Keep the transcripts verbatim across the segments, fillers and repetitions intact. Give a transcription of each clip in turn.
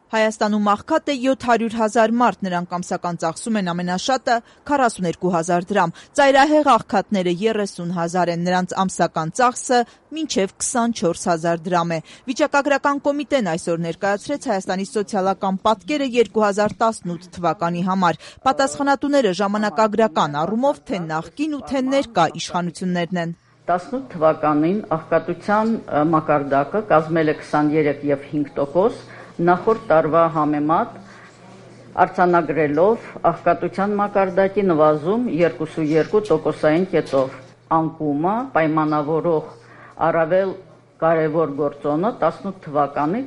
Հայաստանում աղքատ է յոթ հարյուր հազար մարդ, նրանք ամսական ծախսում են ամենաշատը քառասունեքու հազար դրամ։ Ծայրահեղ աղքատները երեսուն հազար են, նրանց ամսական ծախսը մինչև քսանչորս հազար դրամ է։ Վիճակագրական կոմիտեն այսօր ներկայացրեց Հայաստանի սոցիալական պատկերը երկու հազար տասնութ թվականի համար։ Պատասխանատուները ժամանակագրական առումով թե նախկին ու թե ներկա իշխանություններն են։ տասնութ թվականին աղքատության մակարդակը կազմել է քսաներեք եւ հինգ տոկոս, նախորդ տարվա համեմատ արձանագրելով աղքատության մակարդակի նվազում երկուսուերկու տոկոսային կետով։ Անկումը պայմանավորող առավել կարևոր գործոնը տասնութ թվականի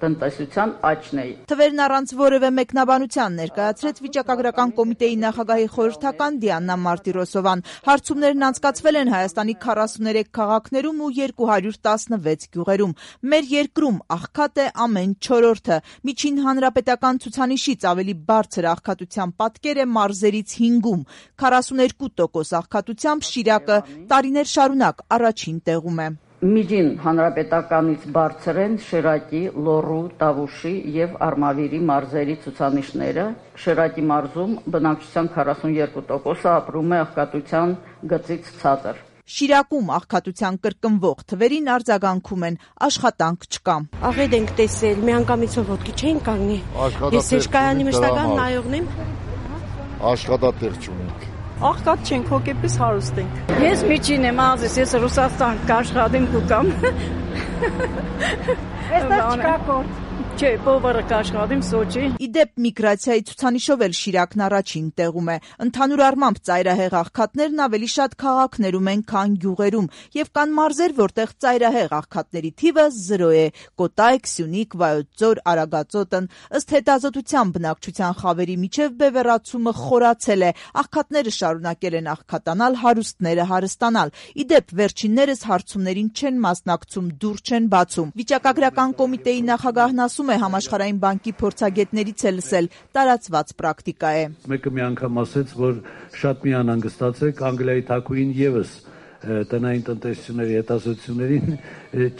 տնտեսության աճն է։ Թվերն առանց որևէ մեկնաբանության ներկայացրեց վիճակագրական կոմիտեի նախագահի խորհրդական Դիանա Մարտիրոսովան։ Հարցումներն անցկացվել են Հայաստանի քառասուներեք քաղաքներում ու երկու հարյուր տասնվեց գյուղերում։ Մեր երկրում աղքատ է ամեն չորրորդը։ Միջին հանրապետական ցուցանիշից ավելի բարձր աղքատության պատկեր է մարզերից հինգում։ քառասուներկու տոկոս աղքատությամբ Շիրակը տարիներ շարունակ առաջին տեղում է։ Միջին հանրապետականից բարձր են Շիրակի, Լոռու, Տավուշի եւ Արմավիրի մարզերի ցուցանիշները։ Շիրակի մարզում բնակչության քառասուներկու տոկոսը ապրում է աղքատության գծից ցածր։ Շիրակում աղքատության կրկնվող թվերին արձագանքում են աշխատանք չկա։ Աղետ ենք տեսել, միանգամից ոտքի չեն կանգնի։ Ես Սեշկայանի մշտական նայողն եմ։ Աշխատատեղ չունենք։ Աղքատ չենք, հոգեպես հարուստ ենք։ Ես միջին եմ, ազես, ես Ռուսաստան կաշխատեմ կուկամ։ Այստեղ չկա գործ։ Չէ, բովարը կաշխատեմ Սոչի։ Իդեպ միգրացիայի ցուցանիշով էլ Շիրակն առաջին տեղում է։ Ընդհանուր առմամբ ծայրահեղ աղքատներն ավելի շատ քաղաքներում են, քան գյուղերում, եւ կան մարզեր, որտեղ ծայրահեղ աղքատների թիվը զրո է՝ Կոտայք, Սյունիք, Վայոց ձոր, Արագածոտն։ Ըստ հետազոտության բնակչության խավերի միջև բևեռացումը խորացել է, աղքատները շարունակել են աղքատանալ, հարուստները հարստանալ։ Իդեպ վերջիններս հարցումներին չեն մասնակցում, դուր չեն բացում։ Վիճակագրական կոմիտեի նախագահն ասում է, Համաշխարհային բանկի փորձագետներից է լսել, տարածված պրակտիկա է։ Մեկը մի անգամ ասեց, որ շատ մի անհանգստացեք, Անգլիայի թագուհին եւս տնային տնտեսությունների հետազոտություններին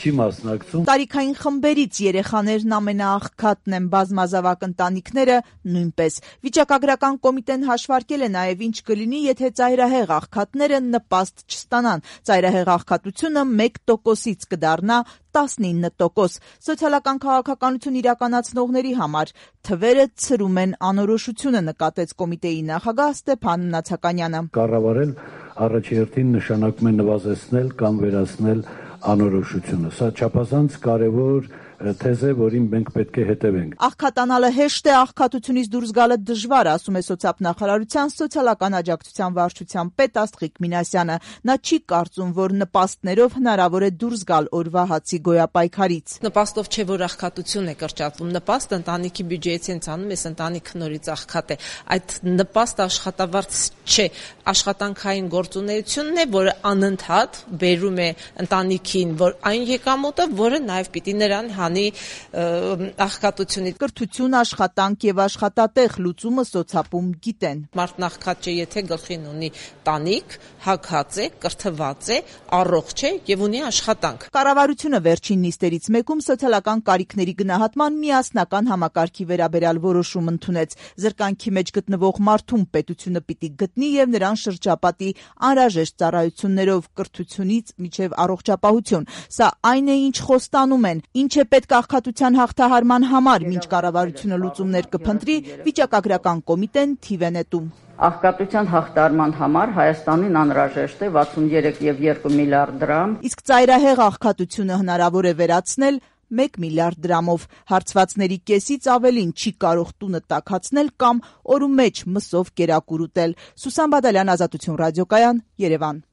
չի մասնակցում։ Տարիքային խմբերից երեխաներն ամենաաղքատն են, բազմազավակ ընտանիքները նույնպես։ Վիճակագրական կոմիտեն հաշվարկել է նաև ինչ կլինի, եթե ծայրահեղ աղքատները նպաստ չստանան։ Ծայրահեղ աղքատությունը մեկ տոկոսից կդառնա տասնինը տոկոս։ Սոցիալական քաղաքականություն իրականացնողների համար թվերը ցրում են անորոշությունը, նկատեց կոմիտեի նախագահ Ստեփան Նացականյանը։ Կառավարել առաջերտին նշանակում է նվազեցնել կամ վերացնել անորոշությունը։ Սա չափազանց կարևոր թեզ է, որին մենք պետք է հետևենք։ Աղքատանալը հեշտ է, աղքատությունից դուրս գալը դժվար, ասում է սոցիալ-նախարարության սոցիալական աջակցության վարչության պետ Աստղիկ Մինասյանը։ Նա չի կարծում, որ նպաստներով հնարավոր է դուրս գալ օրվա հացի գոյապայքարից։ Նպաստով չէ, որ աղքատություն է կրճատվում, նպաստ ընտանիքի բյուջեից են ցանում, այս ընտանիքը նորից աղքատ է։ Այդ նպաստ աշխատավարձ չէ, աշխատանքային գործունեությունն է, որը անընդհատ բերում է ընտանիքին, որ այն եկամուտը, որը նաև պիտի նրան հանի աղքատությունից։ Կրթություն, աշխատանք եւ աշխատատեղ լուծումը սոցապում գիտեն։ Մարդն աղքատ չէ, եթե գլխին ունի տանիք, հագած է, կրթված է, առողջ է եւ ունի աշխատանք։ Կառավարությունը վերջին նիստերից մեկում սոցիալական կարիքների գնահատման միասնական համակարգի վերաբերյալ որոշում ընդունեց։ Զրկանքի մեջ գտնվող մարդուն պետությունը պիտի գտնի եւ նրան շրջապատի անհրաժեշտ ծառայություններով կրթությունից մինչեւ առողջապահություն։ Սա այն է, ինչ խոստանում են, ինչ է պետք աղքատության հաղթահարման համար, մինչ կառավարությունը լուծումներ կփնտրի, վիճակագրական կոմիտեն թիվ է նետում։ Աղքատության հաղթահարման համար Հայաստանին անհրաժեշտ է վաթսուններեք եւ երկու միլիարդ դրամ։ Իսկ ծայրահեղ աղքատությունը հնարավոր է վերացնել մեկ միլիարդ դրամով։ Հարցվածների կեսից ավելին չի կարող տունը տաքացնել կամ օրու մեջ մսով կերակուր ուտել։ Սուսան Բադալյան, Ազատություն ռադիոկայան, Երևան։